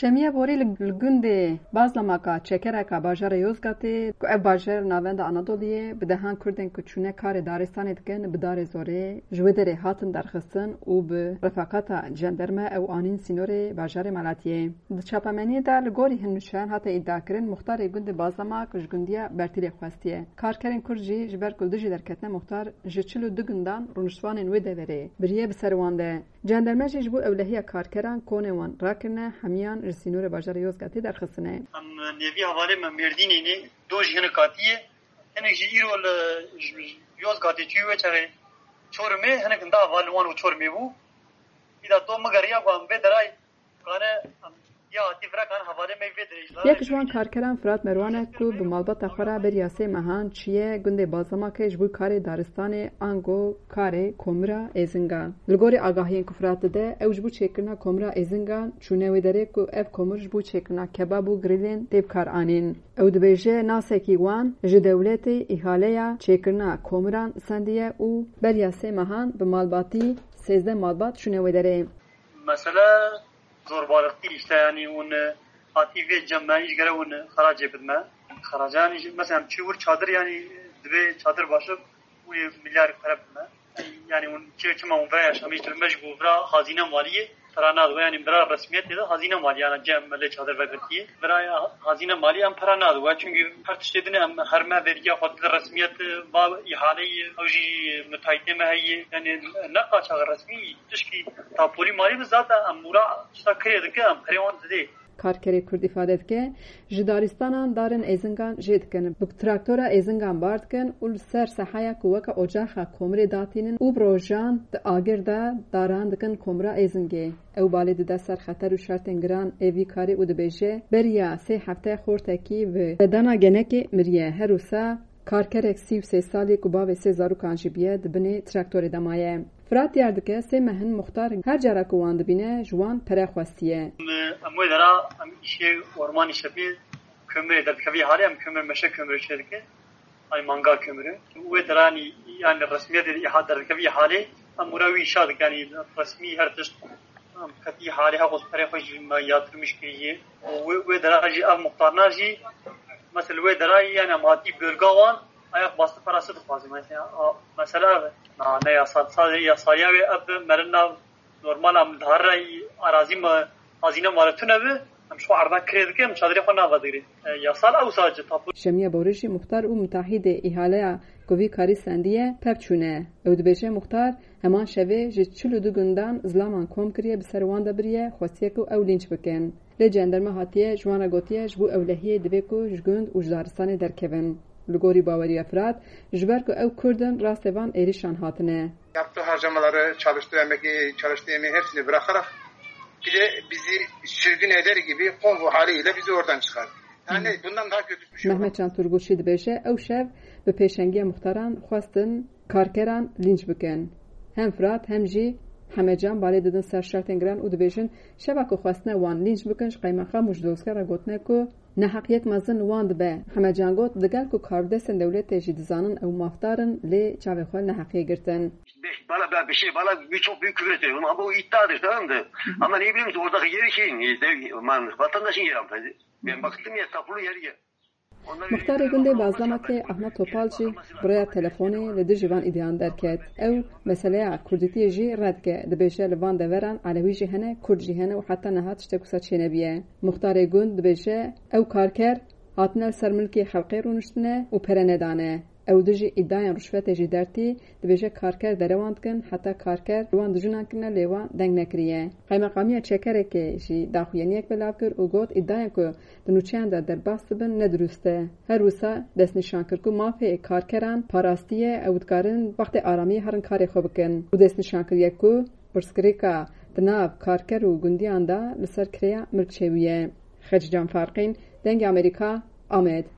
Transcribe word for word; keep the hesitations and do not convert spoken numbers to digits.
Şemiya borî li, li gundê Bazlamaka çekereka bajarê Yozgatê, ku ev bajar navenda Anadoliyê, bi dehan Kurdên ku çûne karê daristanê dikin, bi darê zorê ji wê derê hatin derxistin û bi refaqata cenderme ew anîn sînorê bajarê Malatiyê. Di çapemeniyê de li gorî hin nûçeyan hate îdiakirin, muxtarê gundê Bazlamak ji gundiya Bertîlê xwestiye. Karkerên Kurd jî ji ber ku li dijî derketine muxtar ji çil û du gundan rûniştvanên wê deverê biriye bi ser wan de. Cenderme jî ji bo ewlehiya karkeran konê wan rakirine, hemiyan ji sînorê bajarê Yozgatê derxistine. Em nêvî hevalê me Mêrdînê ne, do jî hinek hatiye. Hinek jî îro li, ji, ji Yozgatê çûyî wê çaxê Çorumê, hinek hinda heval li wan û Çorumê bû. Îda do migeriya ku em vê derayê kane, em ya hatî vira kane hevalê me vê derê ji Yek ji wan karkeran Firat Merwan e ku bi malbata xwe re beriya sê mehan çûye gundê Bazlamakê ji bo karê daristanê ango karê komira Êzingan. Li gorî agahiyên ku Firat dide, ew ji bo çêkirina komira Êzingan çûne wê derê ku ev komir ji bo çêkirina kebab û grîlên tê bi kar anîn. Ew dibêje nasekî wan ji dewletê îhaleya çêkirina komiran sendiye û beriya sê mehan bi malbatî sêzdeh malbat çûne wê derê. Mesele zorbalıktı işte, yani onu hatî vê cem me, îş gere onu xeracê bidme. Xeracanî jî, mesela em çi wir çadir, yani divê çadir başib û yê milyar pere bidme. Yani un çi çima un vira yaşamîş dibe, me ji bo vira hazîne maliyê pera nadibe, yani vira resmiyetê de hazîne maliyê, yani cem me lê çadir vegirtiye. Vira ya hazîne maliyê em pera nadibe. Çünkü her tiştê din em her me vergiya xwe dide resmiyet, va îhaleyê, ew jî müteahhitê me heye. Yani ne qaçax resmî, tişkî tapolî malî bi zaten em mûra tişta kirê dike, em perê wan didê. Karkerê Kurd îfade dike, ji daristanan darên êzingan jê dikin, bi traktora êzingan bar dikin û li ser sehaya ku weke ocaxa komirê datînin û bi rojan di agir de daran dikin komira êzingê. Ew balê dide ser xeter û şertên giran ê vî karê û dibêje, beriya sê hefte xortekî bi bedana genekê miriye. Her wisa karkerek sî û sê salî ku bavê sê zarokan jî bûye, di binê traktorê de maye. Firat diyar dike, sê meh in muxtar her cara ku wan dibîne, ji wan pere xwestiye. Em, em wê dera, em îşê ormanî şepê kömürê derdikevî halê, em kömür meşe kömürê çêdikin. Ay mangal kömürü. Wê dera, yanî, yanî resmiyetê de îha-, derdikevî halê, em wira wî îşa dikin, yanî resmî her tişt, em ketî halê, heqos perê xwe jî me yatırmış kiriye. Wê, wê dera jî ev muxtarna jî, mesela wê dera, yanî em hatî bölga wan, ayak bastı parası dixwazî. Mesela, a, mesela ev e. Na, ne yasal, sadece yasaliya wê ev e, merin nav normal em diharre arazî me, hazîne male tune bi, em şu arda kirê dike, em çadırê xwe nava digirê. E, yasal ew sadece tapu. Şemiye Borî jî muxtar û mutahîdê îhaleya ku vî karî sendiye, pevçûne. Ew dibêje muxtar heman şevê ji çil û du gundan zilaman kom kiriye, bi ser wan de biriye, xwestiye ku ew lînç bikin. Lê cenderme hatiye, ji wan re gotiye, ji bo ewlehiyê divê ku ji gund û ji daristanê derkevin. Li gorî baweriya Firat, ji ber ku ew Kurd in, rastê van êrîşan hatine. Yaptığı harcamaları, çalıştığı emeği, çalıştığı emeği hepsini bırakarak bir de bizi sürgün eder gibi konvo haliyle bizi oradan çıkar. Yani bundan daha kötü bir şey olamaz. Mehmet Can Turgut jî dibêje, ew şev bi pêşengiya muxtaran xwestin karkeran lînç bikin. Hem Firat hem jî Hemecan balê didin ser şertên giran û dibêjin, şeva ku xwestine wan lînç bikin, ji qeymeqam û ji dozger re gotine ku neheqiyek mezin li wan dibe. Hemecan got, digel ku karbidestên dewletê jî dizanin ew mafdar in, lê çavê xwe li neheqiyê girtin. Bala, bala, bir şey, bala, birçok büyük küfür ediyor. Ama bu iddiadır, tamam mı? Ama ne bileyim, oradaki yeri şeyin, e, de, man, vatandaşın yeri hanımefendi. Ben baktım ya, tapulu yeri ya. Muxtarê gundê Bazlamakê Ahmet Topal jî bi rêya telefonê li dijî van îdian derket. Ew meseleya kurdîtiyê jî red dike. Dibêje li van deveran Elewî jî hene, Kurd jî hene û heta niha tiştek wisa çênebiye. Muxtarê gund dibêje, ew karker hatine li ser milkê xelkê rûniştine û pere nedane. Ew dijî îdiayên ruşwetê jî dertî, dibêje karker derewan dikin, heta karker li wan dijunan kirine lê wan deng nekiriye. Qeymeqamiya Çekerekê jî daxuyaniyek belav kir û got, îdiayên ku di nûçeyan de derbas dibin ne dirust e. Her wisa destnîşan kir ku mafê karkeran parastî ye, ew dikarin wextê aramiyê herin karê xwe bikin û destnîşan kiriye ku pirsgirêka di nav karker û gundiyan de li ser kirêya milk çêbûye. Xecîcan Farqîn, Dengê Amerîka, Amed.